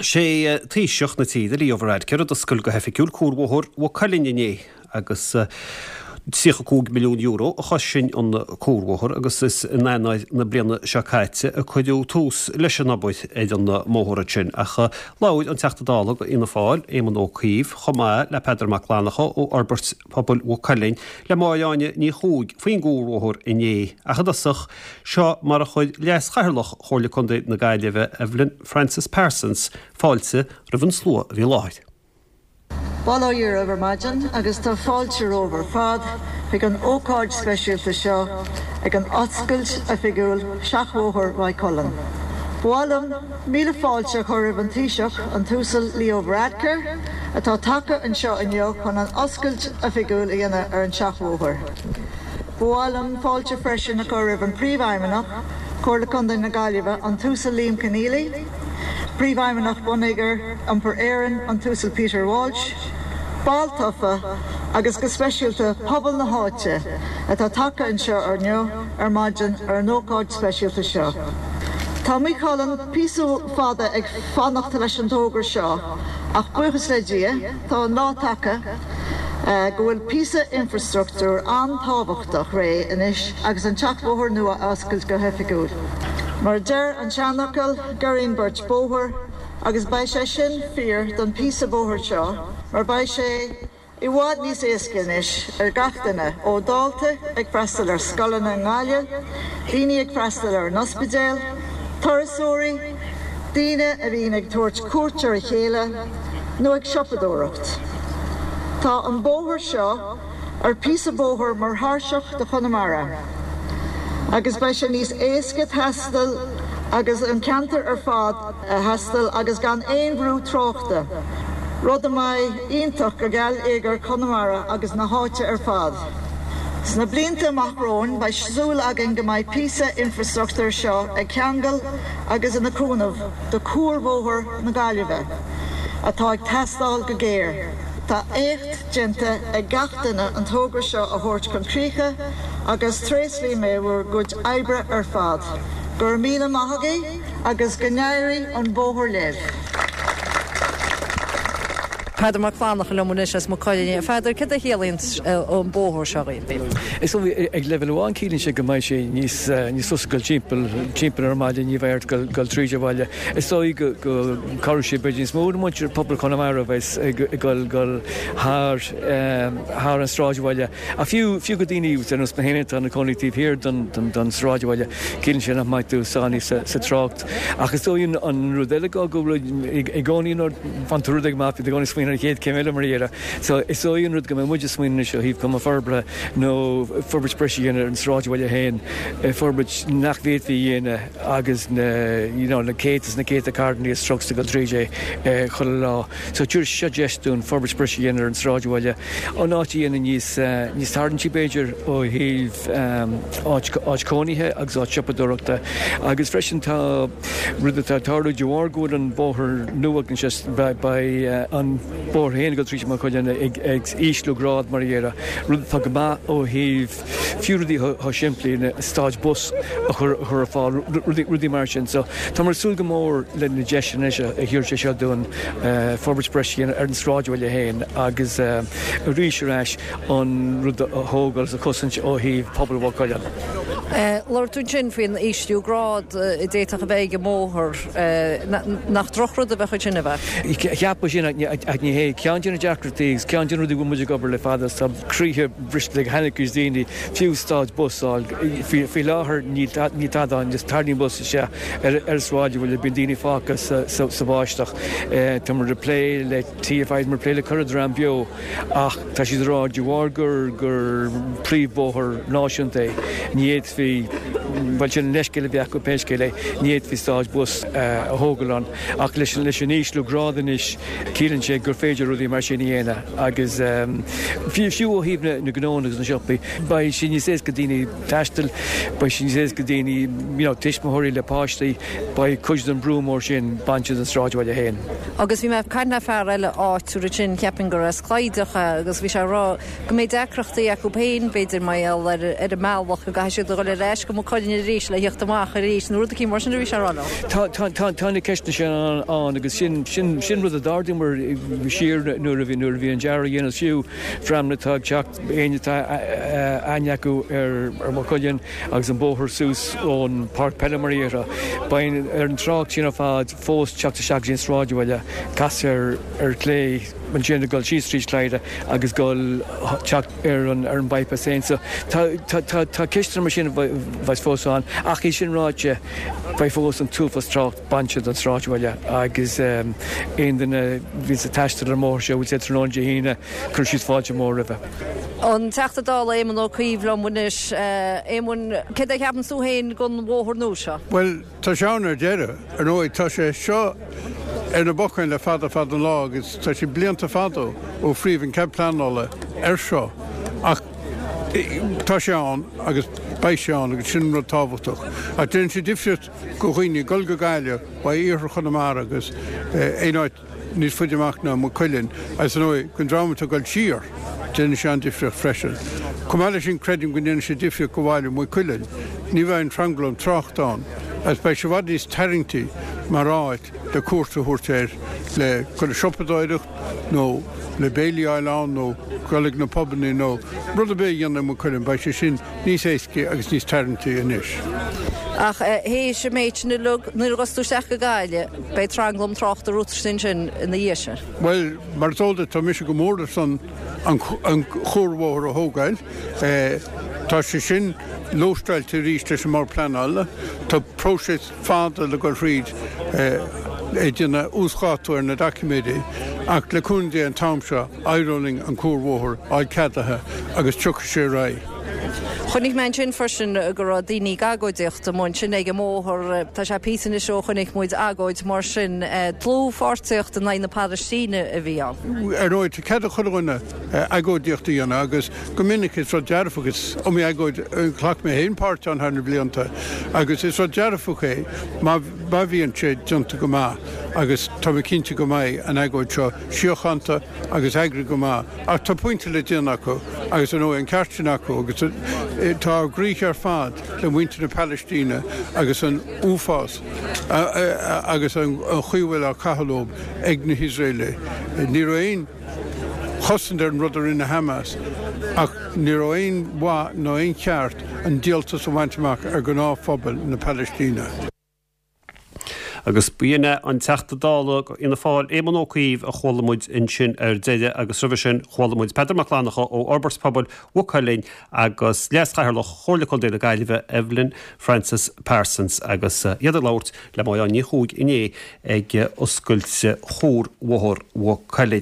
Sé Taoiseach na tíre, Leo Varadkar, a d'oscail go hoifigiúil cuarbhóthar Mhaigh Cuilinn inné agus €35 milliún a chosain an cuarbhóthar agus is in Eanáir na bliana seo caite a cuireadh tús leis an obair ar an mbóthar ansin. Ach labhair an Teachta Dála do Fhianna Fáil, Éamon Ó Cuív, chomh maith le Peadar Mac Fhlannchadha ó Fhorbairt Pobail Mhaigh Cuilinn le Máire Áine Ní Chuaig faoin gcuarbhóthar inné. Ach i dtosach, seo mar a chuir Leas-Chathaoirleach Chomhairle Contae na Gaillimhe, Evelyn Frances Parsons, fáilte roimh an slua a bhí i láthair. Bail ó Dhia oraibh ar maidin agus tá fáilte romhaibh ar fad chuig an ócáid speisialta seo ag an oscailt oifigiúil Seachbhóthar Mhaigh Cuilinn. Ba mhaith liom míle fáilte a chur roimh an Taoiseach, an tUasal Leo Varadkar, atá tagtha anseo inniu chun an oscailt oifigiúil a dhéanamh ar an Seachbhóthar. Ba mhaith liom fáilte freisin a chur roimh an Príomhfheidhmeannach, Comhairle Contae na Gaillimhe, an tUasal Liam Conneely, Príomhfheidhmeannach Bonneagar Iompair Éireann, an tUasal Peter Walsh, baill tofa agus go speisialta pobal na háite atá tagtha anseo inniu ar maidin ar an ócáid speisialta seo. Tá Maigh Cuilinn píosa fada ag fanacht leis an togra seo ach buíochas le Dia tá an lá tagtha go bhfuil píosa infreastruchtúir an-tábhachtach réidh anois agus an tSeachbhóthar nua a oscailt go hoifigiúil. Mar a deir an seanfhocal, giorraíonn beirt bóthar agus beidh sé sin fíor don phíosa bóthair seo mar beidh sé i bhfad níos éasca anois ar gach duine, ó dhaltaí ag freastal ar scoileanna i nGaillimh, daoine ag freastal ar an ospidéal, turasóirí, daoine a bhíonn ag tabhairt cuairt ar a chéile nó ag siopadóireacht. Tá an bóthar seo ar píosa bóthair mar thairseach do Chonamara agus beidh sé níos éasca taisteal agus an ceantar ar fad a thaisteal agus gan aon bhrú tráchta, rud a mbeidh iontach go geilleagar Chonamara agus na háite ar fad. Sna blianta amach romhainn beidh súil againn go mbeidh píosa infreastruchtúir seo ag ceangal agus ina cúnamh do cuarbhóthar na Gaillimhe atá ag teastáil go géar. Tá éacht déanta ag gach duine an togra seo a thabhairt chun críche agus tréaslaím mé bhur gcuid oibre ar fad. Go raibh míle maith agaibh agus go n-éirí an bóthar libh. Peadar Mac Fhlannchadha liom anois as Maigh Cuilinn. A Pheadair, céard a chiallaíonn an bóthar seo dhaoibh? Is dóigh, ag leibhéal amháin ciallaíonn sé go mbeidh sé níos níos fusa dul timpeall timpeall ar an mbaile, ní bheidh ort dul dul tríd an bhaile. Is dóigh go go cabhróidh sé b'fhéidir níos mó le muintir pobal Chonamara a bheas ag dul dul thar thar an sráidbhaile. Ach fiú fiú go daoine ar nós mé féin atá ina cónaí taobh thiar den den den sráidbhaile, ciallaíonn sé nach mbeidh tú sáinnithe sa sa trácht. Ach is dóigh an an rud eile go go bhfuil i gcónaí nuair a bhain tú rud éigin amach bíonn tú i gcónaí ag smaoineamh ar an chéad céim eile mar a déarfá. So is dóigh an rud go mbeidh muid ag smaoineamh anois ó thaobh cuma forbartha nó forbairt breise a dhéanamh ar an sráidbhaile féin, forbairt nach bhféadfaí a dhéanamh agus na you know na céadta is na céadta carranna is trucks ag dul tríd é chuile lá. So tabharfaidh seo deis dúinn forbairt breise a dhéanamh ar an sráidbhaile, an áit a dhéanamh níos níos tarraingtí b'fhéidir ó thaobh áit áit cónaithe agus áit siopadóireachta agus freisin tá rud atá ag tarlú de bharr go bhfuil an bóthar nua anseo beidh an bóthar féin ag dul tríd Maigh Cuilinn ag ag ísliú grád mar a déarfá, rud atá go maith ó thaobh fiú rudaí chomh simplí le stad bus a chur ar fáil, rudaí mar sin. So táimid ag súil go mór le na deiseanna anois a thabharfaidh sé seo dúinn forbairt breise a dhéanamh ar an sráidbhaile féin agus arís ar ais an rud a thógáil agus a chosaint ó thaobh pobal Mhaigh Cuilinn. Labhair tú ansin faoin ísliú grád a d'fhéadfadh a bheith ag an mbóthar. Nach drochrud a bheadh ansin, ab ea? Cheapfá sin ach ní hé. Ceann de na deacrachtaí agus ceann de na rudaí a bhfuil muid ag obair le fada is tá croíthe briste ag an-chuid daoine, fiú stad bus a fháil. Faoi láthair níl tada ann, just tarraingíonn bus isteach ar an sráidbhaile, bíonn daoine fágtha sa bháisteach. Táimid ag plé le TFI, táimid ag plé le corr dream beo ach tá siad ag rá de bharr gur gur príomhbhóthar náisiúnta é, ní fhéadfaí, bhuel sin an leithscéal a bhí acu pé scéal é, ní fhéadfaí stad bus a thógáil ann. Ach leis an ísliú grád anois, ciallaíonn sé gur féidir rudaí mar sin a dhéanamh agus fiú ó thaobh na ngnónna agus na siopaí, beidh sé níos éasca daoine taisteal, beidh sé níos éasca daoine, you know, tuismitheoirí le páistí, beidh cuid den brú mór sin bainte den sráidbhaile féin. Agus bhí mé ag caint le fear eile áitiúil ansin, cheapfainn gur as Clydach é, agus bhí sé ag rá go mbeidh deacrachtaí acu féin, b'fhéidir, mar gheall ar an mbealach go gcaithfidh siad a dhul ar ais go Maigh Cuilinn. Cuilinn arís le theacht amach arís nó rud eicínt mar sin a bhí sé a rá leo. Tá, tá, tá, tá na ceisteanna sin ann agus sin, sin, sin rud a d'ardaíomar siar nuair a bhí, nuair a bhí an dearadh á dhéanamh fiú, dreamanna atá ag teacht, éinne atá aithne acu ar, ar Maigh Cuilinn agus an bóthar suas ón páirc peile mar a déarfá, beidh ar an trácht sin ar fad fós teacht isteach go dtí an sráidbhaile, casadh ar, ar chlé ansin ag dul síos tríd Clyda agus dul teacht ar an ar an bypass féin. So tá tá tá tá ceisteanna mar sin a bheas fós ann ach é sin ráite beidh fós an t-uafás trácht bainte den sráidbhaile agus aon duine a bhíonns ag taisteal ar an mbóthar seo bhfuil sé tráthnóna Dé hAoine cuirfidh siad fáilte mhór roimhe. An Teachta Dála Éamon Ó Cuív liom anois. Éamoin, céard é a cheapann tú féin den bhóthar nua seo? Bhuel, Tá sé ann ar deireadh. Ar ndóigh, tá sé seo ar na bacáin le fada fada an lá agus tá sé blianta fada ó fríodh an cead pleanála air seo ach tá sé ann agus beidh sé ann agus sin an rud tábhachtach. Ach déanann sé difríocht go dhaoine ag dul go Gaillimh ó iarthar Chonamara agus aon áit níos faide amach ná Maigh Cuilinn agus ar ndóigh don dream atá ag dul siar, déanann sé an-difríocht freisin. Chomh maith leis sin creidim go ndéanann sé difríocht go bhaile Mhaigh Cuilinn. Ní bheidh an tranglam tráchta ann agus beidh sé i bhfad níos tarraingtí mar áit le cuairt a thabhairt air le dul ag siopadóireacht nó le béilí a fháil ann nó dul ag na pubannaí nó rud ar bith a dhéanamh i Maigh Cuilinn, beidh sé sin níos éascaí agus níos tarraingtí anois. Ach théis an méid sin uilig, nuair a ghabhfas tú isteach go Gaillimh, beidh tranglam tráchta romhat ansin ina dhiaidh sin. Bhuel, mar is eol duit, tá mise go mór ar son an chuarbhóthar a thógáil. Tá sé sin lóisteáilte arís leis an mBord Pleanála. Tá próiseas fada le dul thríd ag déanamh uasdhátú ar na doiciméidí ach le cúnamh Dé an t-am seo éireoidh linn an cuarbhóthar a fháil ceadaithe agus tiocfaidh sé ar aghaidh. Chonaic mé ansin freisin go raibh daoine ag agóidíocht amuigh ansin ag an mbóthar. Tá sé píosa anois ó chonaic muid agóid mar sin. Dlúthpháirtíocht in aghaidh na Palaistíne a bhí ann. Ar ndóigh, tá cead ag chuile dhuine agóidíocht a dhéanamh agus go minic is rud dearfach, is iomaí agóid a ghlac mé féin páirt ann thar na blianta agus is rud dearfach é má bhíonn sé déanta go maith agus tá mé cinnte go mbeidh an agóid seo síochánta agus eagraithe go maith ach tá pointe le déanamh acu agus ar ndóigh an ceart sin acu agus tá ár gcroíthe ar fad le muintir na Palaistíne agus an uafás agus an chaoi a bhfuil á caitheamh leo ag na hIosraelaigh. Ní raibh aon chosaint ar an rud a rinne Hamas ach ní raibh aon mhaith ná aon cheart an díoltas a bhaint amach ar ghnáthphobal na Palaistíne. Agus b'in é an Teachta Dála Fhianna Fáil, Éamon Ó Cuív, a chuala muid ansin ar deireadh agus roimhe sin chuala muid Peadar Mac Fhlannchadha ó Fhorbairt Pobail Mhaigh Cuilinn agus Leas-Chathaoirleach Chomhairle Contae na Gaillimhe, Evelyn Frances Parsons agus iad ag labhairt le Máire Ní Chuaig inné ag oscailt Chuarbhóthar Mhaigh Cuilinn.